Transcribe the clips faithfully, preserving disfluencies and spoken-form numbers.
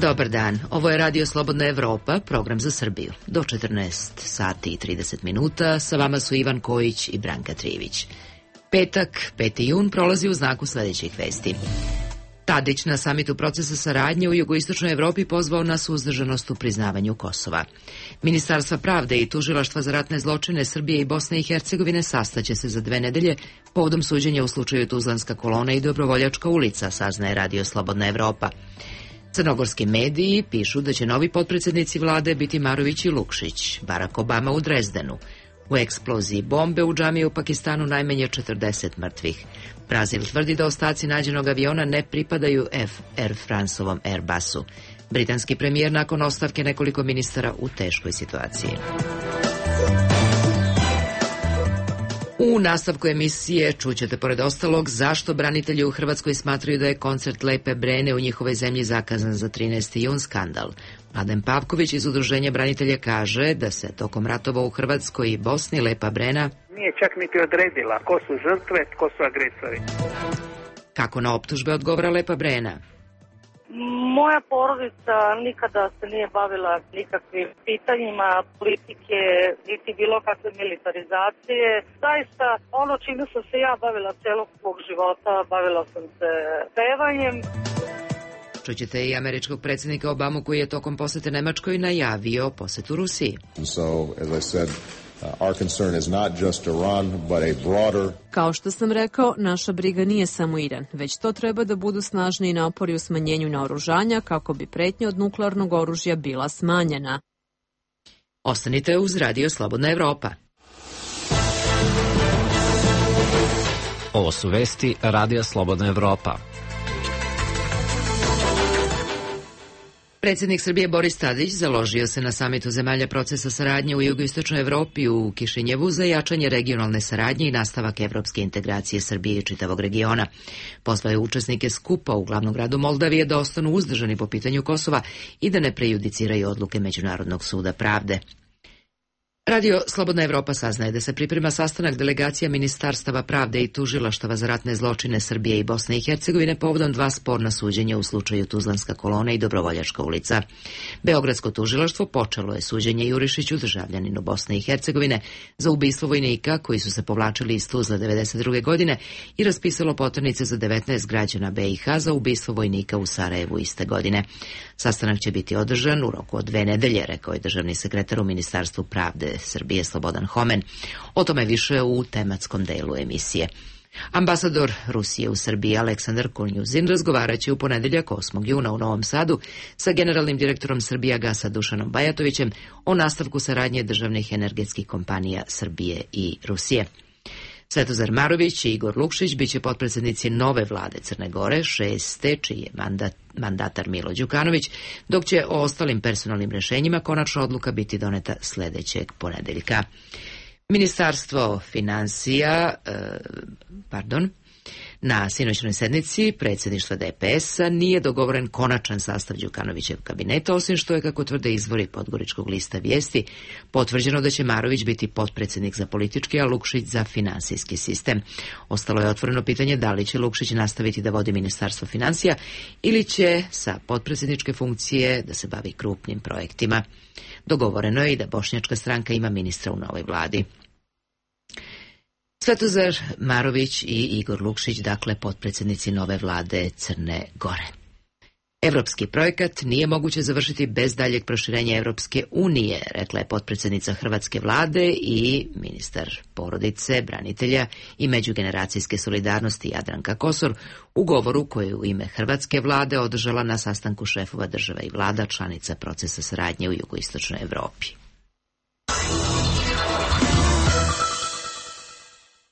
Dobar dan, ovo je Radio Slobodna Evropa, program za Srbiju. Do četrnaest sati i trideset minuta, sa vama su Ivan Kojić i Branka Trivić. Petak, peti jun, prolazi u znaku sledećih vesti. Tadić na samitu procesa saradnje u jugoistočnoj Evropi pozvao na suzdržanost u priznavanju Kosova. Ministarstva pravde i tužilaštva za ratne zločine Srbije i Bosne i Hercegovine sastaće se za dve nedelje povodom suđenja u slučaju Tuzlanska kolona i Dobrovoljačka ulica, saznaje Radio Slobodna Evropa. Crnogorski mediji pišu da će novi potpredsednici vlade biti Marović i Lukšić, Barack Obama u Drezdenu. U eksploziji bombe u džamiji u Pakistanu najmanje četrdeset mrtvih. Brazil tvrdi da ostaci nađenog aviona ne pripadaju Air Franceovom Airbusu. Britanski premijer nakon ostavke nekoliko ministara u teškoj situaciji. U nastavku emisije čućete pored ostalog zašto branitelji u Hrvatskoj smatraju da je koncert Lepe Brene u njihovoj zemlji zakazan za trinaesti jun skandal. Mladen Pavković iz Udruženja branitelja kaže da se tokom ratova u Hrvatskoj i Bosni Lepa Brena nije čak niti odredila ko su žrtve, ko su agresori. Kako na optužbe odgovara Lepa Brena? Moja porodica nikada se nije bavila nikakvim pitanjima politike, niti bilo kakve militarizacije. Zaista, ono čime sam se ja bavila celog svog života, bavila sam se pevanjem. Čućete i američkog predsjednika Obamu koji je tokom posete Nemačkoj najavio posetu Rusiji. So, as I said, Our concern is not just Iran, but a broader... Kao što sam rekao, naša briga nije samo Iran, već to treba da budu snažni napori u smanjenju naoružanja kako bi pretnja od nuklearnog oružja bila smanjena. Ostanite uz Radio Slobodna Evropa. Ovo su vesti Radija Slobodna Evropa. Predsjednik Srbije Boris Tadić založio se na samitu zemalja procesa saradnje u jugoistočnoj Evropi u Kišinjevu za jačanje regionalne saradnje i nastavak evropske integracije Srbije i čitavog regiona. Pozvao je učesnike skupa u glavnom gradu Moldavije da ostanu uzdržani po pitanju Kosova i da ne prejudiciraju odluke Međunarodnog suda pravde. Radio Slobodna Evropa saznaje da se priprema sastanak delegacija Ministarstava pravde i tužilaštava za ratne zločine Srbije i Bosne i Hercegovine povodom dva sporna suđenja u slučaju Tuzlanska kolona i Dobrovoljačka ulica. Beogradsko tužilaštvo počelo je suđenje Jurišiću, državljaninu Bosne i Hercegovine, za ubistvo vojnika koji su se povlačili iz Tuzla devedeset druge godine i raspisalo poternice za devetnaest građana B i H za ubistvo vojnika u Sarajevu iste godine. Sastanak će biti održan u roku od dve nedelje, rekao je državni sekretar u Ministarstvu pravde Srbije Slobodan Homen. O tome više u tematskom delu emisije. Ambasador Rusije u Srbiji Aleksandar Kulnjuzin razgovarat će u ponedeljak osmog juna u Novom Sadu sa generalnim direktorom Srbijagasa Dušanom Bajatovićem o nastavku saradnje državnih energetskih kompanija Srbije i Rusije. Svetozar Marović i Igor Lukšić biće potpredsjednici nove vlade Crne Gore, šeste, čiji je mandat, mandatar Milo Đukanović, dok će o ostalim personalnim rešenjima konačna odluka biti doneta sledećeg ponedeljka. Ministarstvo finansija, eh, pardon, na sinoćnoj sednici predsjedništva D P S-a nije dogovoren konačan sastav Đukanovićev kabineta, osim što je, kako tvrde izvori Podgoričkog lista vijesti, potvrđeno da će Marović biti potpredsjednik za politički, a Lukšić za finansijski sistem. Ostalo je otvoreno pitanje da li će Lukšić nastaviti da vodi Ministarstvo financija ili će sa potpredsjedničke funkcije da se bavi krupnim projektima. Dogovoreno je i da Bošnjačka stranka ima ministra u novoj vladi. Svetozar Marović i Igor Lukšić, dakle potpredsjednici nove vlade Crne Gore. Evropski projekat nije moguće završiti bez daljeg proširenja Evropske unije, rekla je potpredsjednica hrvatske vlade i ministar porodice, branitelja i međugeneracijske solidarnosti Jadranka Kosor u govoru koju je u ime hrvatske vlade održala na sastanku šefova država i vlada članica procesa saradnje u jugoistočnoj Evropi.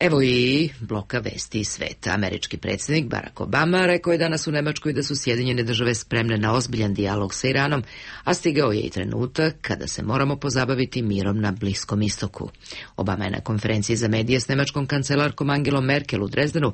Evo i bloka vesti iz sveta. Američki predsjednik Barack Obama rekao je danas u Nemačkoj da su Sjedinjene države spremne na ozbiljan dijalog sa Iranom, a stigao je i trenutak kada se moramo pozabaviti mirom na Bliskom istoku. Obama je na konferenciji za medije s nemačkom kancelarkom Angelom Merkel u Drezdenu,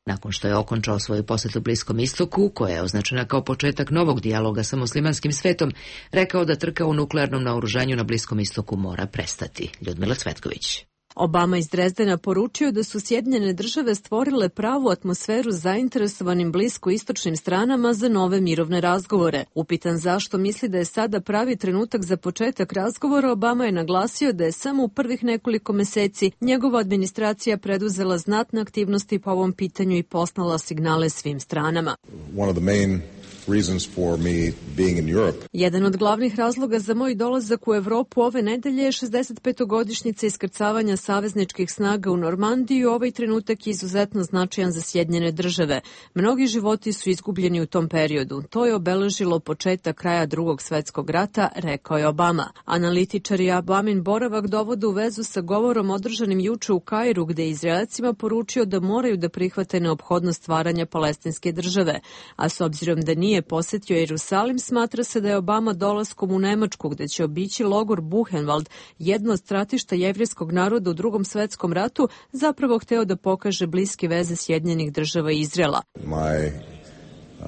nakon što je okončao svoju posjetu Bliskom istoku, koja je označena kao početak novog dijaloga sa muslimanskim svetom, rekao da trka u nuklearnom naoružanju na Bliskom istoku mora prestati. Ljudmila Cvetković. Obama iz Drezdena poručio da su Sjedinjene države stvorile pravu atmosferu zainteresovanim bliskoistočnim stranama za nove mirovne razgovore. Upitan zašto misli da je sada pravi trenutak za početak razgovora, Obama je naglasio da je samo u prvih nekoliko meseci njegova administracija preduzela znatne aktivnosti po ovom pitanju i poslala signale svim stranama. One of the main reasons for me being in Europe. Jedan od glavnih razloga za moj dolazak u Evropu ove nedelje je šezdesetpetogodišnjica iskrcavanja savezničkih snaga u Normandiju. Ovaj trenutak je izuzetno značajan za Sjedinjene države. Mnogi životi su izgubljeni u tom periodu. To je obeležilo početak kraja Drugog svetskog rata, rekao je Obama. Analitičari Obamin boravak dovode u vezu sa govorom održanim juče u Kairu, gde je Izraelcima poručio da moraju da prihvate neophodnost stvaranja palestinske države. A s obzirom da nije posetio Jerusalim, smatra se da je Obama dolaskom u Nemačku, gde će obići logor Buchenwald, jedno od stratišta jevrejskog naroda u Drugom svetskom ratu, zapravo hteo da pokaže bliske veze Sjedinjenih država i Izraela. My uh,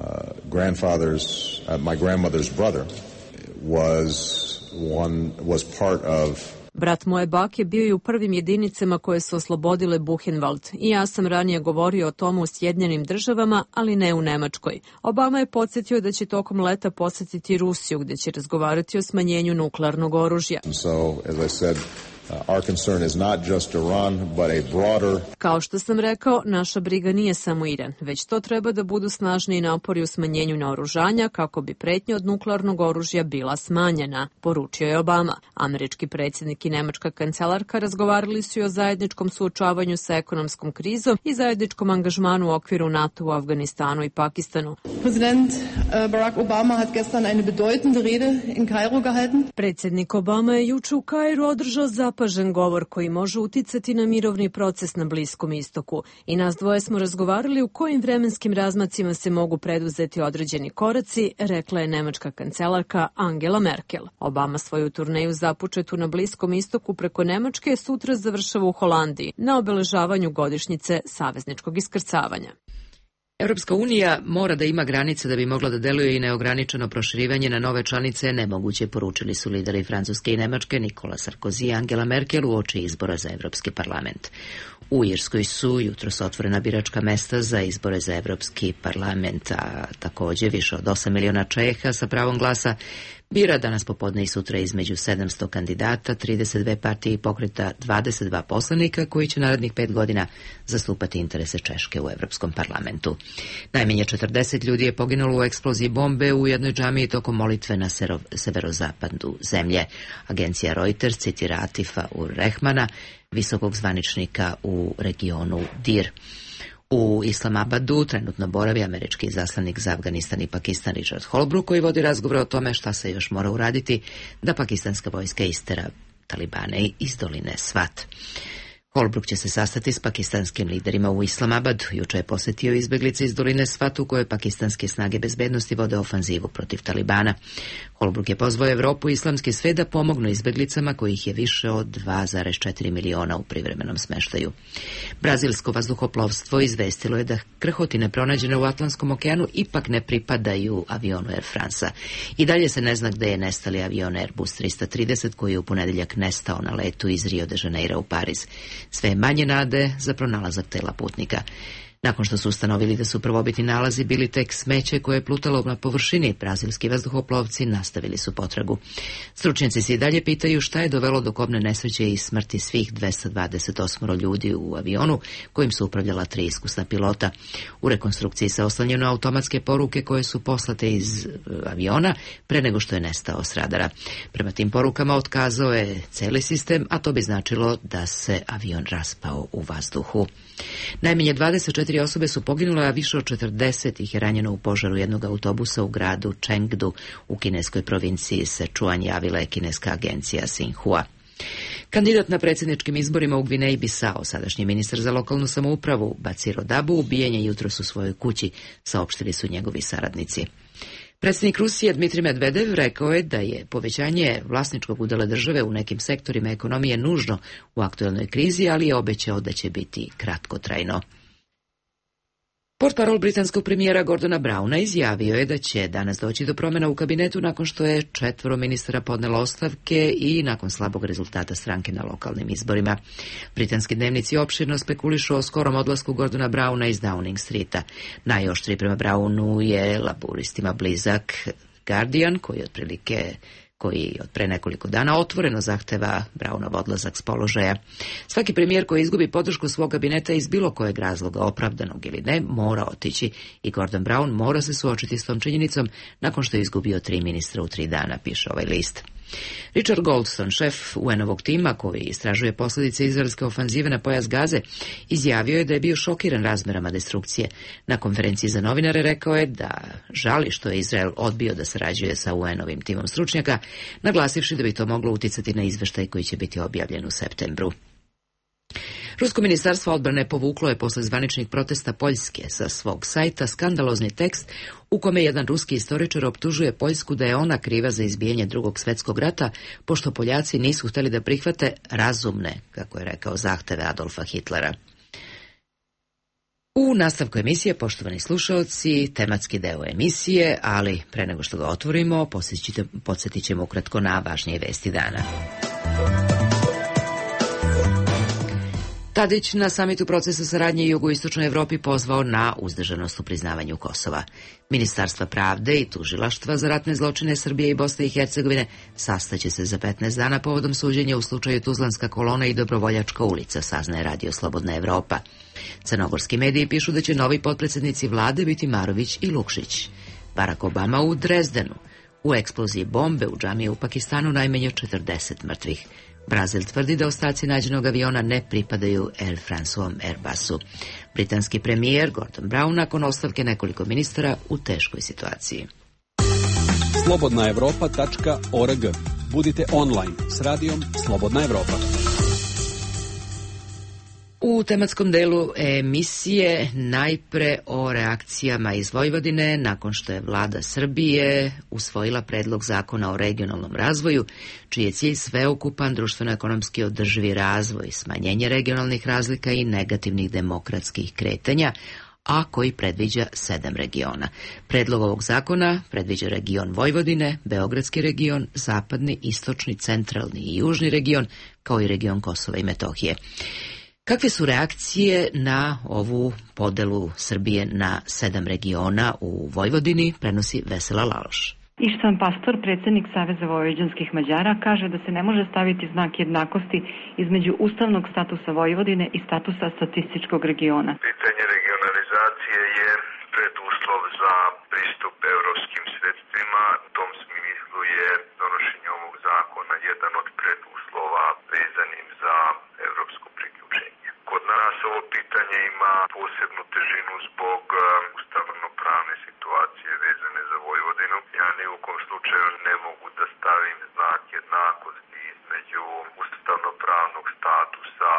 grandfather's, uh, my grandmother's brother was one was part of Brat moje bake bio je u prvim jedinicama koje su oslobodile Buchenwald i ja sam ranije govorio o tomu u Sjedinjenim državama, ali ne u Nemačkoj. Obama je podsjetio da će tokom leta posetiti Rusiju, gde će razgovarati o smanjenju nuklearnog oružja. So, as I said, Uh, our concern is not just Iran, but a broader... Kao što sam rekao, naša briga nije samo Iran, već to treba da budu snažni napori u smanjenju naoružanja kako bi pretnja od nuklearnog oružja bila smanjena, poručio je Obama. Američki predsjednik i nemačka kancelarka razgovarali su i o zajedničkom suočavanju sa ekonomskom krizom i zajedničkom angažmanu u okviru NATO u Afganistanu i Pakistanu. President Barack Obama hat gestern eine bedeutende Rede in Kairo gehalten. Predsjednik Obama je juče u Kairu održao zapažen govor koji može uticati na mirovni proces na Bliskom istoku. I nas dvoje smo razgovarali u kojim vremenskim razmacima se mogu preduzeti određeni koraci, rekla je nemačka kancelarka Angela Merkel. Obama svoju turneju započetu na Bliskom istoku preko Nemačke sutra završava u Holandiji na obeležavanju godišnjice savezničkog iskrcavanja. Europska unija mora da ima granice da bi mogla da deluje i neograničeno proširivanje na nove članice nemoguće, poručili su lideri Francuske i Nemačke Nikola Sarkozy i Angela Merkel uoči izbora za Evropski parlament. U Irskoj su jutros otvorena biračka mesta za izbore za Evropski parlament, a takođe više od osam miliona Čeha sa pravom glasa bira danas popodne i sutra između sedamsto kandidata, trideset dve partije i pokreta, dvadeset dva poslanika koji će narednih pet godina zastupati interese Češke u Evropskom parlamentu. Najmanje četrdeset ljudi je poginulo u eksploziji bombe u jednoj džamiji tokom molitve na severozapadu zemlje. Agencija Reuters citira Atifa ur Rehmana, visokog zvaničnika u regionu Dir. U Islamabadu trenutno boravi američki izaslanik za Afganistan i Pakistan Richard Holbrooke, koji vodi razgovor o tome šta se još mora uraditi da pakistanska vojska istera Talibane iz doline Swat. Holbrooke će se sastati s pakistanskim liderima u Islamabadu. Juče je posjetio izbeglice iz doline Swat u kojoj pakistanske snage bezbednosti vode ofanzivu protiv Talibana. Holbrooke je pozvao Evropu i islamski svet da pomognu izbeglicama kojih je više od dva zarez četiri miliona u privremenom smeštaju. Brazilsko vazduhoplovstvo izvestilo je da krhotine pronađene u Atlantskom okeanu ipak ne pripadaju avionu Air France-a. I dalje se ne zna gde je nestali avion Airbus trista trideset koji je u ponedeljak nestao na letu iz Rio de Janeira u Pariz. Sve manje nade za pronalazak tela putnika. Nakon što su ustanovili da su prvobitni nalazi bili tek smeće koje je plutalo na površini, brazilski vazduhoplovci nastavili su potragu. Stručnjaci se i dalje pitaju šta je dovelo do kobne nesreće i smrti svih dvesta dvadeset osam ljudi u avionu kojim su upravljala tri iskusna pilota. U rekonstrukciji se oslanjaju na automatske poruke koje su poslate iz aviona pre nego što je nestao s radara. Prema tim porukama otkazao je celi sistem, a to bi značilo da se avion raspao u vazduhu. Najmanje dvadeset četiri osobe su poginule, a više od četrdeset ih je ranjeno u požaru jednog autobusa u gradu Chengdu u kineskoj provinciji Sichuan, javila je kineska agencija Xinhua. Kandidat na predsjedničkim izborima u Gvineji Bisao, sadašnji ministar za lokalnu samoupravu Baciro Dabu, ubijen je jutros u svojoj kući, saopštili su njegovi saradnici. Predsjednik Rusije Dmitrij Medvedev rekao je da je povećanje vlasničkog udjela države u nekim sektorima ekonomije nužno u aktuelnoj krizi, ali je obećao da će biti kratkotrajno. Portparol britanskog premijera Gordona Browna izjavio je da će danas doći do promjena u kabinetu nakon što je četvoro ministara podnelo ostavke i nakon slabog rezultata stranke na lokalnim izborima. Britanski dnevnici opširno spekulišu o skorom odlasku Gordona Browna iz Downing Streeta. Najoštriji prema Brownu je laburistima blizak Guardian, koji otprilike koji od pre nekoliko dana otvoreno zahteva Brownov odlazak s položaja. Svaki premijer koji izgubi podršku svog kabineta iz bilo kojeg razloga, opravdanog ili ne, mora otići i Gordon Brown mora se suočiti s tom činjenicom nakon što je izgubio tri ministra u tri dana, piše ovaj list. Richard Goldstone, šef U N-ovog tima koji istražuje posljedice izraelske ofanzive na pojas Gaze, izjavio je da je bio šokiran razmerama destrukcije. Na konferenciji za novinare rekao je da žali što je Izrael odbio da sarađuje sa U N-ovim timom stručnjaka, naglasivši da bi to moglo uticati na izveštaj koji će biti objavljen u septembru. Rusko ministarstvo odbrane povuklo je posle zvaničnih protesta Poljske sa svog sajta skandalozni tekst u kome jedan ruski istoričar optužuje Poljsku da je ona kriva za izbijanje Drugog svjetskog rata, pošto Poljaci nisu htjeli da prihvate razumne, kako je rekao, zahteve Adolfa Hitlera. U nastavku emisije, poštovani slušaoci, tematski deo emisije, ali pre nego što ga otvorimo, podsjetit ćemo ukratko na važnije vesti dana. Tadić na samitu procesa saradnje u jugoistočnoj Evropi pozvao na uzdržanost u priznavanju Kosova. Ministarstva pravde i tužilaštva za ratne zločine Srbije i Bosne i Hercegovine sastaće se za petnaest dana povodom suđenja u slučaju Tuzlanska kolona i Dobrovoljačka ulica, saznaje Radio Slobodna Evropa. Crnogorski mediji pišu da će novi potpredsjednici vlade biti Marović i Lukšić. Barack Obama u Drezdenu. U eksploziji bombe u džamiji u Pakistanu najmanje četrdeset mrtvih. Brazil tvrdi da ostaci nađenog aviona ne pripadaju Air France-ovom Airbusu. Britanski premijer Gordon Brown nakon ostavke nekoliko ministara u teškoj situaciji. slobodna evropa tačka org. Budite online s radijom Slobodna Evropa. U tematskom delu emisije najpre o reakcijama iz Vojvodine nakon što je vlada Srbije usvojila predlog zakona o regionalnom razvoju, čiji je cilj sveukupan društveno-ekonomski održivi razvoj, smanjenje regionalnih razlika i negativnih demokratskih kretanja, a koji predviđa sedam regiona. Predlog ovog zakona predviđa region Vojvodine, Beogradski region, zapadni, istočni, centralni i južni region, kao i region Kosova i Metohije. Kakve su reakcije na ovu podelu Srbije na sedam regiona u Vojvodini, prenosi Vesela Laloš. Ištvan Pastor, predsjednik Saveza vojvođanskih Mađara, kaže da se ne može staviti znak jednakosti između ustavnog statusa Vojvodine i statusa statističkog regiona. Pitanje regionalizacije je preduslov za pristup evropskim sredstvima. U tom smislu je donošenje ovog zakona jedan od preduslova vezanim za evropsko priključenje. Kod nas ovo pitanje ima posebnu težinu zbog ustavno-pravne situacije vezane za Vojvodinu. Ja ni u kom slučaju ne mogu da stavim znak jednakosti između ustavno-pravnog statusa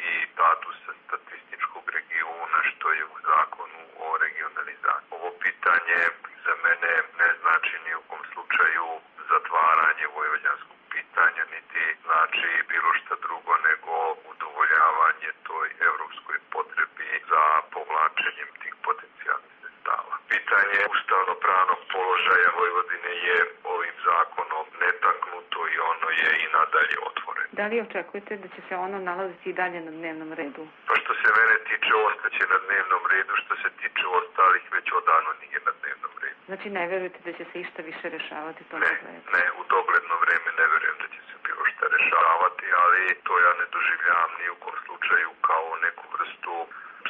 i statusa statističkog regiona, što je u zakonu o regionalizaciji. Ovo pitanje za mene ne znači ni u kom slučaju zatvaranje vojvođanskog pitanja, niti znači bilo šta drugo nego udovoljavanje toj evropskoj potrebi za povlačenjem tih potencijalnih sredstava. Pitanje ustavno-pravnog položaja Vojvodine je ovim zakonom netaknuto i ono je i nadalje otvoreno. Da li očekujete da će se ono nalaziti i dalje na dnevnom redu? Pa što se mene tiče, ostaće na dnevnom redu, što se tiče ostalih već odavno nije na dnevnom redu. Znači ne verujete da će se išta više rešavati to? Ne, ne, u dogledno vreme ne verujem da će se bilo šta rešavati, ali to ja ne doživljavam ni u kom slučaju kao neku vrstu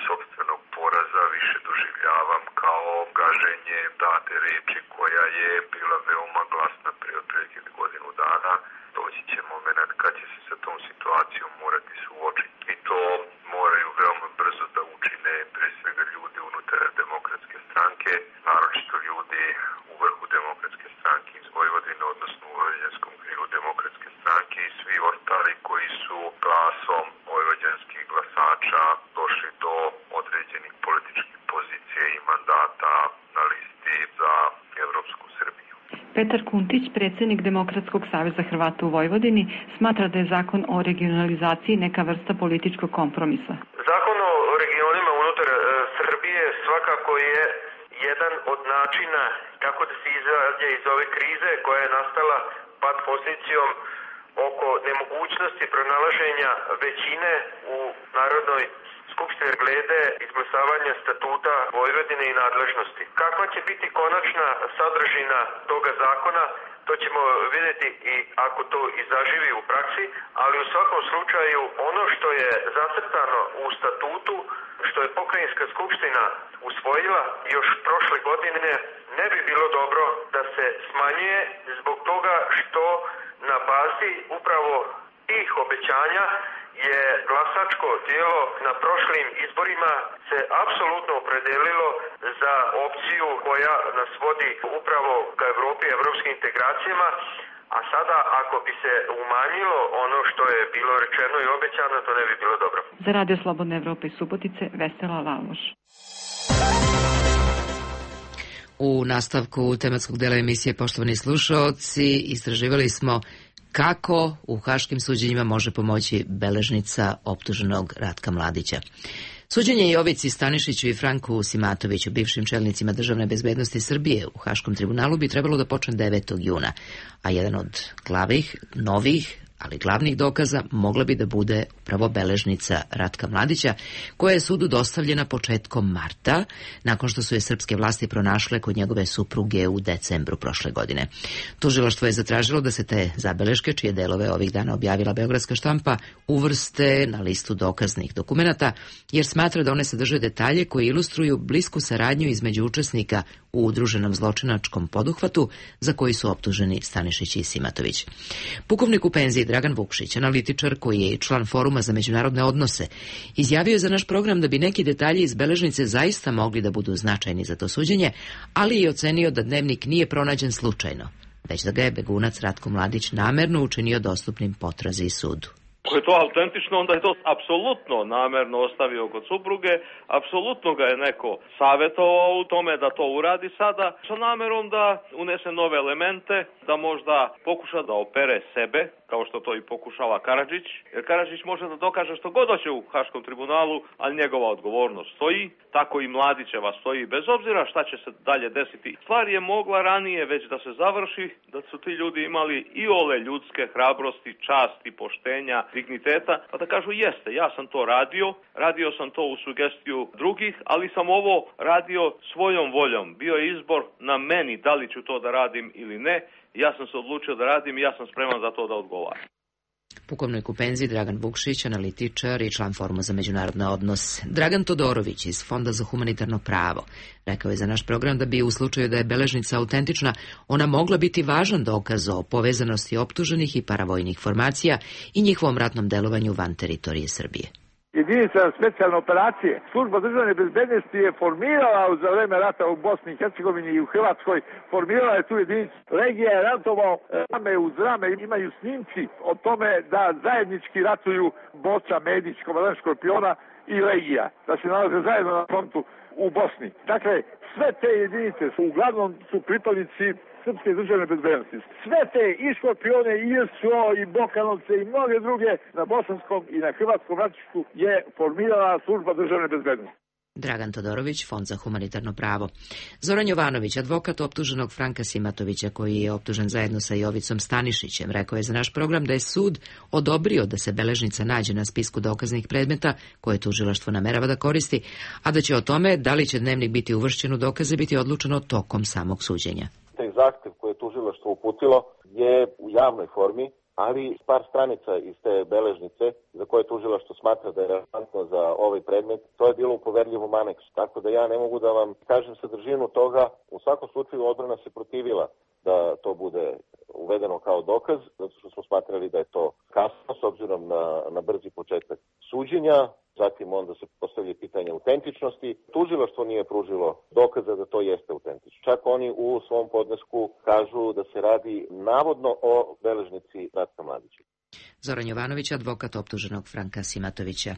sopstvenog poraza, više doživljavam kao gaženje date reči koja je bila veoma glasna prije otprilike godinu dana. Doći će moment kad će se sa tom situacijom morati suočiti i to moraju veoma brzo da učine pre svega ljudi unutar demokratske stranke, naročito ljudi u vrhu demokratske stranke iz Vojvodine, odnosno u vojvođanskom krilu demokratske stranke i svi ostali koji su glasom vojvođanskih glasača došli do određenih političkih pozicija i mandata na listi za Evropsku Srbiju. Petar Kuntić, predsjednik Demokratskog saveza Hrvata u Vojvodini, smatra da je zakon o regionalizaciji neka vrsta političkog kompromisa. Zakon o regionima unutar Srbije svakako svakako je jedan od načina kako da se izađe iz ove krize koja je nastala pad pozicijom oko nemogućnosti pronalaženja većine u Narodnoj skupštini glede izglasavanja statuta Vojvodine i nadležnosti. Kakva će biti konačna sadržina toga zakona, to ćemo vidjeti i ako to i zaživi u praksi, ali u svakom slučaju ono što je zacrtano u statutu, što je Pokrajinska skupština usvojila još prošle godine, ne bi bilo dobro da se smanjuje zbog toga što na bazi upravo tih obećanja je glasačko tijelo na prošlim izborima se apsolutno opredelilo za opciju koja nas vodi upravo ka Evropi i evropskim integracijama, a sada ako bi se umanjilo ono što je bilo rečeno i obećano, to ne bi bilo dobro. Za Radio Slobodne Evrope iz Subotice, Vesela Laloš. U nastavku tematskog dela emisije, poštovani slušaoci, istraživali smo kako u haškim suđenjima može pomoći beležnica optuženog Ratka Mladića. Suđenje Jovici Stanišiću i Franku Simatoviću, bivšim čelnicima državne bezbednosti Srbije u Haškom tribunalu, bi trebalo da počne devetog juna, a jedan od glavnih, novih, ali glavnih dokaza mogla bi da bude upravo beležnica Ratka Mladića, koja je sudu dostavljena početkom marta, nakon što su je srpske vlasti pronašle kod njegove supruge u decembru prošle godine. Tužilaštvo je zatražilo da se te zabeleške, čije delove ovih dana objavila beogradska štampa, uvrste na listu dokaznih dokumenata, jer smatra da one sadrže detalje koji ilustruju blisku saradnju između učesnika u udruženom zločinačkom poduhvatu za koji su optuženi Stanišić i Simatović. Pukovnik u penziji Dragan Vukšić, analitičar koji je i član Foruma za međunarodne odnose, izjavio je za naš program da bi neki detalji iz beležnice zaista mogli da budu značajni za to suđenje, ali i ocenio da dnevnik nije pronađen slučajno, već da ga je begunac Ratko Mladić namerno učinio dostupnim potrazi i sudu. Ako je to autentično, onda je to apsolutno namerno ostavio kod supruge, apsolutno ga je neko savjetovao u tome da to uradi sada, sa namerom da unese nove elemente, da možda pokuša da opere sebe, kao što to i pokušava Karadžić, jer Karadžić može da dokaže što god hoće u Haškom tribunalu, ali njegova odgovornost stoji, tako i Mladićeva stoji, bez obzira šta će se dalje desiti. Stvar je mogla ranije već da se završi, da su ti ljudi imali i ole ljudske hrabrosti, časti, poštenja, digniteta, pa da kažu jeste, ja sam to radio, radio sam to u sugestiju drugih, ali sam ovo radio svojom voljom. Bio je izbor na meni da li ću to da radim ili ne, ja sam se odlučio da radim i ja sam spreman za to da odgovaram. Pukovnik u penziji Dragan Vukšić, analitičar i član Foruma za međunarodne odnose. Dragan Todorović iz Fonda za humanitarno pravo rekao je za naš program da bi u slučaju da je beležnica autentična, ona mogla biti važan dokaz o povezanosti optuženih i paravojnih formacija i njihovom ratnom delovanju van teritorije Srbije. Jedinica specijalne operacije, služba državne bezbednosti je formirala za vreme rata u Bosni i Hercegovini i u Hrvatskoj, formirala je tu jedinicu. Legija je ratovao rame uz rame, imaju snimci o tome da zajednički ratuju Boca, Medić, komandant Škorpiona i Legija, da se nalaze zajedno na frontu u Bosni. Dakle, sve te jedinice su uglavnom su pripadnici srpske državne bezbednosti. Sve te i Škorpione, i S O, i Bokanovce, i mnoge druge na bosanskom i na hrvatskom ratištu je formirala služba državne bezbednosti. Dragan Todorović, Fond za humanitarno pravo. Zoran Jovanović, advokat optuženog Franka Simatovića, koji je optužen zajedno sa Jovicom Stanišićem, rekao je za naš program da je sud odobrio da se beležnica nađe na spisku dokaznih predmeta koje tužilaštvo namerava da koristi, a da će o tome da li će dnevnik biti uvršćen u dokaze biti odlučeno tokom samog suđenja. Taj zahtev koje je tužilaštvo uputilo je u javnoj formi, ali par stranica iz te beležnice za koje tužilaštvo smatra da je relevantno za ovaj predmet, to je bilo u poverljivom aneksu. Tako da ja ne mogu da vam kažem sadržinu toga. U svakom slučaju odbrana se protivila da to bude uvedeno kao dokaz, zato što smo smatrali da je to kasno s obzirom na, na brzi početak suđenja. Zatim onda se postavlja pitanje autentičnosti. Tužilaštvo nije pružilo dokaza da to jeste autentično. Čak oni u svom podnesku kažu da se radi navodno o beležnici Ratka Mladića. Zoran Jovanović, advokat optuženog Franka Simatovića.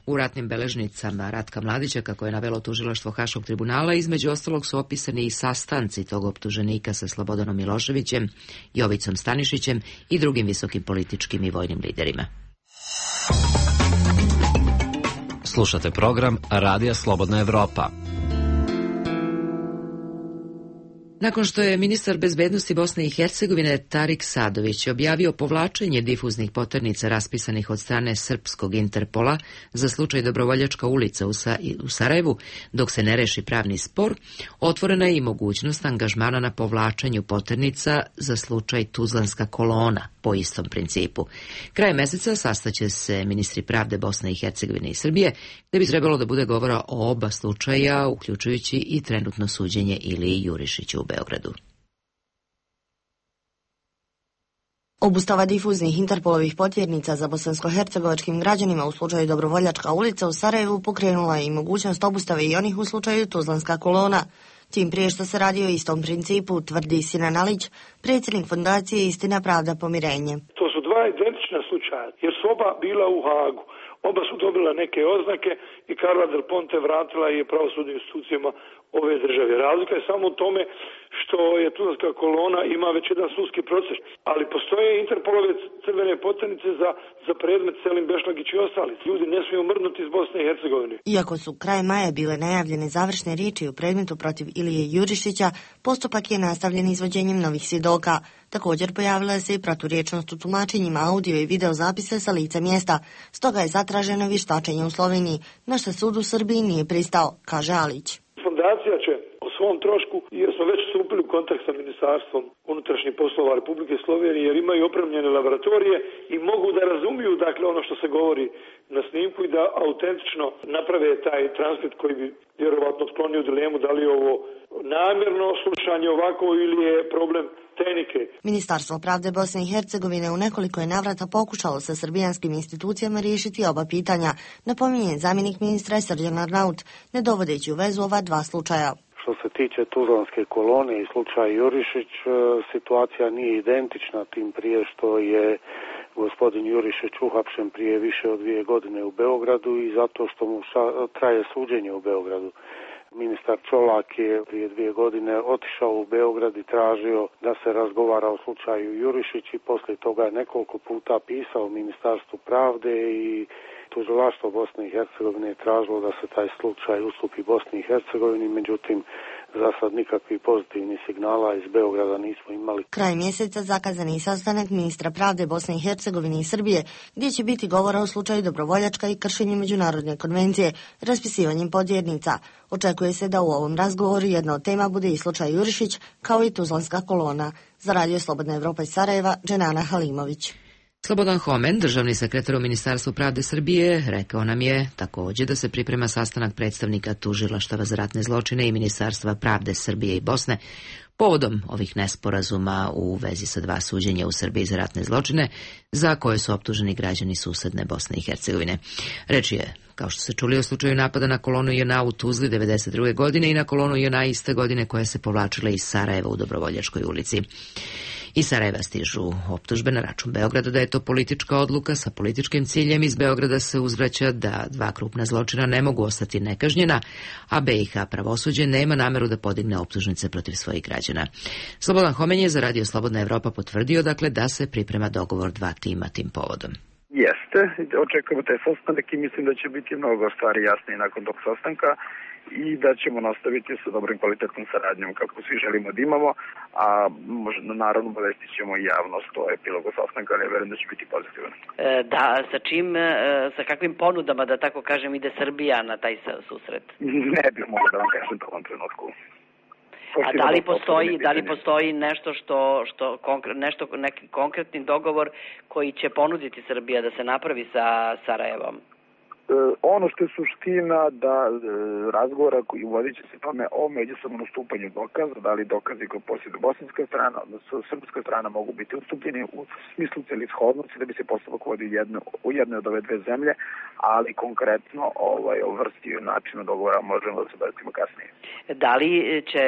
U ratnim beležnicama Ratka Mladića, kako je navelo tužilaštvo Haškog tribunala, između ostalog su opisani i sastanci tog optuženika sa Slobodanom Miloševićem, Jovicom Stanišićem i drugim visokim političkim i vojnim liderima. Slušate program Radija Slobodna Evropa. Nakon što je ministar bezbednosti Bosne i Hercegovine Tarik Sadović objavio povlačenje difuznih poternica raspisanih od strane srpskog Interpola za slučaj Dobrovoljačka ulica u, Sa u Sarajevu, dok se ne reši pravni spor, otvorena je i mogućnost angažmana na povlačenju poternica za slučaj Tuzlanska kolona po istom principu. Krajem meseca sastaće se ministri pravde Bosne i Hercegovine i Srbije, gde bi trebalo da bude govora o oba slučaja, uključujući i trenutno suđenje Iliji Jurišiću u Beogradu. Obustava difuznih Interpolovih potjernica za bosansko-hercegovačkim građanima u slučaju Dobrovoljačka ulica u Sarajevu pokrenula je i mogućnost obustave i onih u slučaju Tuzlanska kolona. Tim prije što se radi o istom principu, tvrdi Sinan Alić, predsjednik fondacije Istina, pravda, pomirenje. To su dva identična slučaja, jer su oba bila u Hagu. Oba su dobila neke oznake i Carla Del Ponte vratila je pravosudnim institucijama ove države. Razlika je samo u tome što je Tuzlanska kolona ima već jedan sudski proces, ali postoje Interpolove crvene poternice za, za predmet Selim Bešlagić i ostali. Ljudi ne smiju mrdnuti iz Bosne i Hercegovine. Iako su kraj maja bile najavljene završne riječi u predmetu protiv Ilije Jurišića, postupak je nastavljen izvođenjem novih svjedoka. Također pojavila se i proturječnost u tumačenjima audio i video zapise sa lica mjesta, stoga je zatraženo vještačenje u Sloveniji, na što sud u Srbiji nije pristao, kaže Alić. Fondacija će o svom trošku, jer smo već stupili u kontakt sa Ministarstvom unutrašnjih poslova Republike Slovenije, jer imaju opremljene laboratorije i mogu da razumiju dakle ono što se govori na snimku i da autentično naprave taj transkript koji bi vjerovatno otklonio dilemu da li je ovo namjerno slušanje ovako ili je problem tehnike. Ministarstvo pravde Bosne i Hercegovine u nekoliko je navrata pokušalo sa srbijanskim institucijama riješiti oba pitanja, napominje zamjenik ministra Srđan Arnaut, ne dovodeći u vezu ova dva slučaja. Što se tiče Tuzlanske kolone i slučaja Jurišić, situacija nije identična, tim prije što je gospodin Jurišić uhapšen prije više od dvije godine u Beogradu i zato što mu traje suđenje u Beogradu. Ministar Čolak je prije dvije godine otišao u Beograd i tražio da se razgovara o slučaju Jurišić i poslije toga je nekoliko puta pisao Ministarstvu pravde i tužilaštvo Bosne i Hercegovine je tražilo da se taj slučaj ustupi Bosni i Hercegovini, međutim za sad nikakvih pozitivnih signala iz Beograda nismo imali. Kraj mjeseca zakazan je sastanak ministra pravde Bosne i Hercegovine i Srbije, gdje će biti govora o slučaju Dobrovoljačka i kršenju međunarodne konvencije, raspisivanjem podjernica. Očekuje se da u ovom razgovoru jedna od tema bude i slučaj Jurišić, kao i Tuzlanska kolona. Za Radio Slobodna Evropa iz Sarajeva, Dženana Halimović. Slobodan Homen, državni sekretar u Ministarstvu pravde Srbije, rekao nam je također da se priprema sastanak predstavnika tužilaštava za ratne zločine i Ministarstva pravde Srbije i Bosne povodom ovih nesporazuma u vezi sa dva suđenja u Srbiji za ratne zločine za koje su optuženi građani susedne Bosne i Hercegovine. Reč je, kao što se čuli, o slučaju napada na kolonu J N A u Tuzli devedeset druge godine i na kolonu J N A iste godine koja se povlačila iz Sarajeva u Dobrovoljačkoj ulici. Iz Sarajeva stižu optužbe na račun Beograda da je to politička odluka sa političkim ciljem. Iz Beograda se uzvraća da dva krupna zločina ne mogu ostati nekažnjena, a B i H pravosuđe nema nameru da podigne optužnice protiv svojih građana. Slobodan Homen je za Radio Slobodna Evropa potvrdio dakle da se priprema dogovor dva tima tim povodom. Jeste, očekujemo taj sastanak i mislim da će biti mnogo stvari jasnije nakon tog sastanka i da ćemo nastaviti sa dobrim kvalitetnom saradnjom kako svi želimo da imamo, a možda naravno obavestit ćemo i javnost o epilogu sastanka, ali ja verujem da će biti pozitivan. E, da, sa čim, e, sa kakvim ponudama, da tako kažem, ide Srbija na taj susret? Ne bih mogao da vam kažem to u ovom trenutku. A da li postoji, da li postoji nešto što, što nešto, neki konkretni dogovor koji će ponuditi Srbija da se napravi sa Sarajevom? Ono što je suština da razgovora koji vodit će se tome o međusobnom ustupanju dokaza, da li dokazi koji posjeduje bosanska strana, odnosno srpska strana mogu biti ustupljeni u smislu celishodnosti da bi se postupak vodio jedno, u jednoj od ove dve zemlje, ali konkretno ovaj, o vrsti i načinu dogovora možemo da se bavimo kasnije. Da li će,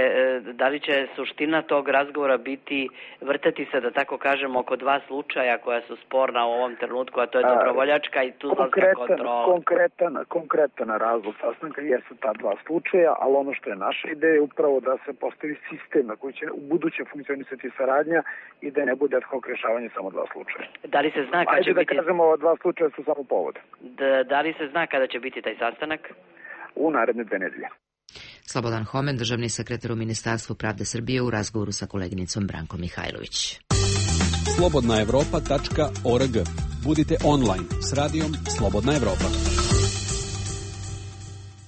da li će suština tog razgovora biti vrtati se, da tako kažemo, oko dva slučaja koja su sporna u ovom trenutku, a to je Dobrovoljačka i Tuzlanska kontrola? Konkretan, konkretan razlog sastanka jesu ta dva slučaja, ali ono što je naša ideja je upravo da se postavi sistem na koji će u buduće funkcionisati saradnja i da ne bude ad hoc rješavanje samo dva slučaja. Da li se zna kada Ajde će da biti... kažemo, ova dva slučaja su samo povod. Da, da li se zna kada će biti taj sastanak? U naredne dve nedelje. Slobodan Homen, državni sekretar u Ministarstvu pravde Srbije, u razgovoru sa koleginicom Brankom Mihajlović. slobodna evropa tačka org. Budite online s radijom Slobodna Evropa.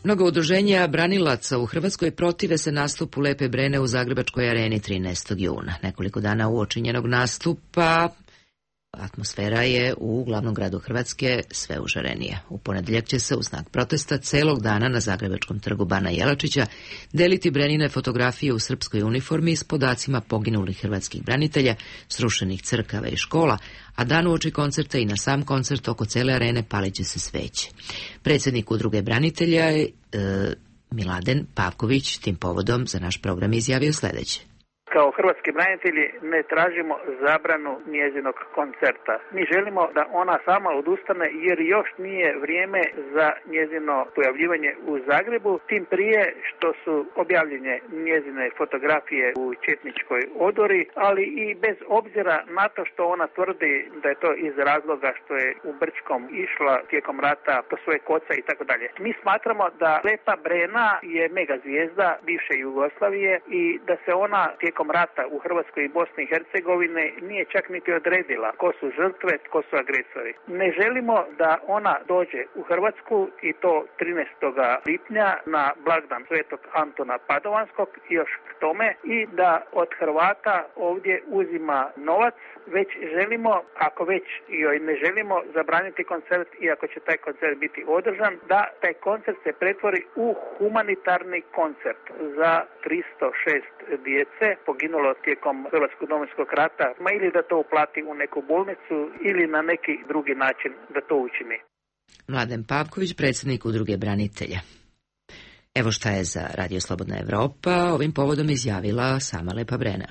Mnogo udruženja branilaca u Hrvatskoj protive se nastupu Lepe Brene u Zagrebačkoj areni trinaestog juna. Nekoliko dana uoči njenog nastupa atmosfera je u glavnom gradu Hrvatske sve užarenija. U ponedeljak će se u znak protesta celog dana na Zagrebačkom trgu Bana Jelačića deliti Brenine fotografije u srpskoj uniformi s podacima poginulih hrvatskih branitelja, srušenih crkava i škola, a dan uoči koncerta i na sam koncert oko cele arene palit će se sveće. Predsjednik udruge branitelja je e, Miladen Pavković tim povodom za naš program izjavio sljedeće. Kao hrvatski branitelji ne tražimo zabranu njezinog koncerta. Mi želimo da ona sama odustane jer još nije vrijeme za njezino pojavljivanje u Zagrebu, tim prije što su objavljene njezine fotografije u četničkoj odori, ali i bez obzira na to što ona tvrdi da je to iz razloga što je u Brčkom išla tijekom rata po svoje koca i tako dalje. Mi smatramo da Lepa Brena je mega zvijezda bivše Jugoslavije i da se ona tijekom rata u Hrvatskoj i Bosni i Hercegovine nije čak niti odredila ko su žrtve, ko su agresori. Ne želimo da ona dođe u Hrvatsku i to trinaestog lipnja na blagdan Svetog Antona Padovanskog i još k tome i da od Hrvata ovdje uzima novac, već želimo, ako već joj ne želimo zabraniti koncert i ako će taj koncert biti održan, da taj koncert se pretvori u humanitarni koncert za tristo šest djece poginulo tijekom Hrvatskog domovinskog rata, ma ili da to uplati u neku bolnicu ili na neki drugi način da to učini. Mladen Pavković, predsjednik udruge branitelja. Evo šta je za Radio Slobodna Evropa ovim povodom izjavila sama Lepa Brena.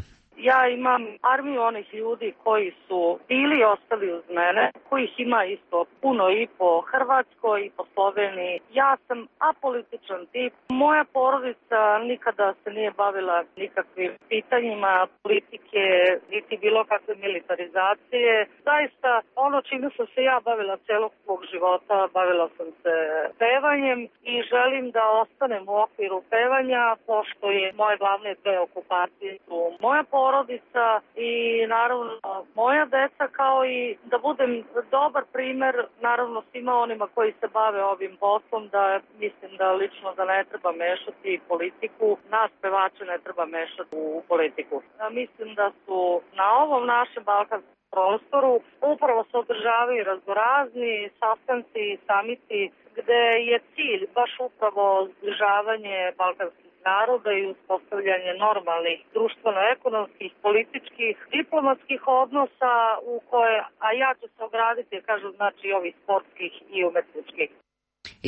Ja imam armiju onih ljudi koji su bili i ostali uz mene, kojih ima isto puno i po Hrvatskoj i po Sloveniji. Ja sam apolitičan tip. Moja porodica nikada se nije bavila nikakvim pitanjima politike, niti bilo kakve militarizacije. Zaista, ono čime sam se ja bavila celog svog života, bavila sam se pevanjem i želim da ostanem u okviru pevanja, pošto je moje glavne dve okupacije su moja porodica porodica i naravno moja deca, kao i da budem dobar primer naravno svima onima koji se bave ovim poslom, da mislim da lično da ne treba mešati politiku, nas pevače ne treba mešati u politiku. Ja mislim da su na ovom našem balkanskom prostoru upravo se održavaju raznorazni sastanci i samiti gde je cilj baš upravo zbližavanje balkanskih naroda i uspostavljanje normalnih društveno-ekonomskih, političkih, diplomatskih odnosa u koje, a ja ću se ograditi, kažu, znači ovih sportskih i umetničkih.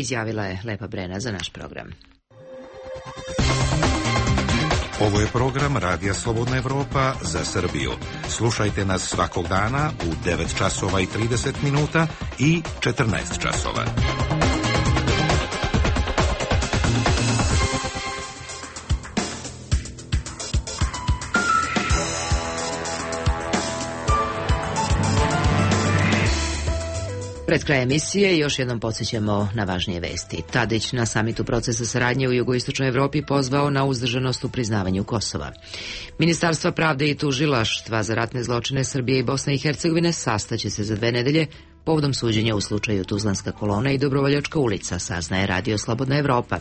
Izjavila je Lepa Brena za naš program. Ovo je program Radija Slobodna Evropa za Srbiju. Slušajte nas svakog dana u devet časova i trideset minuta i četrnaest časova. Pred kraj emisije još jednom podsjećamo na važnije vesti. Tadić na samitu procesa saradnje u jugoistočnoj Evropi pozvao na uzdržanost u priznavanju Kosova. Ministarstva pravde i tužilaštva za ratne zločine Srbije i Bosne i Hercegovine sastaće se za dve nedelje povodom suđenja u slučaju Tuzlanska kolona i Dobrovoljačka ulica, saznaje Radio Slobodna Evropa.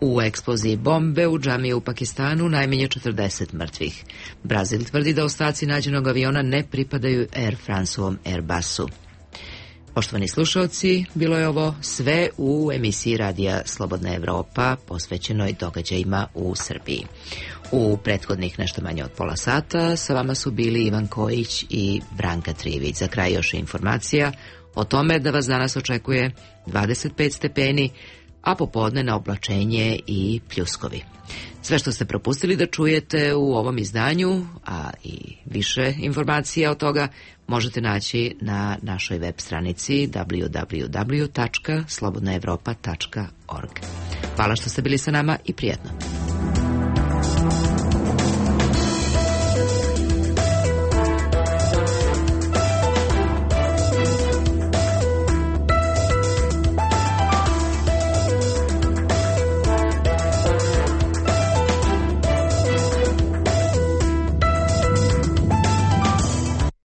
U eksploziji bombe u džamiji u Pakistanu najmanje četrdeset mrtvih. Brazil tvrdi da ostaci nađenog aviona ne pripadaju Air France-ovom Airbusu. Poštovani slušalci, bilo je ovo sve u emisiji Radija Slobodna Evropa posvećenoj događajima u Srbiji. U prethodnih nešto manje od pola sata sa vama su bili Ivan Kojić i Branka Trivić. Za kraj još informacija o tome da vas danas očekuje dvadeset pet stepeni, a popodne na oblačenje i pljuskovi. Sve što ste propustili da čujete u ovom izdanju, a i više informacija od toga, možete naći na našoj web stranici w w w tačka slobodna evropa tačka org. Hvala što ste bili sa nama i prijatno.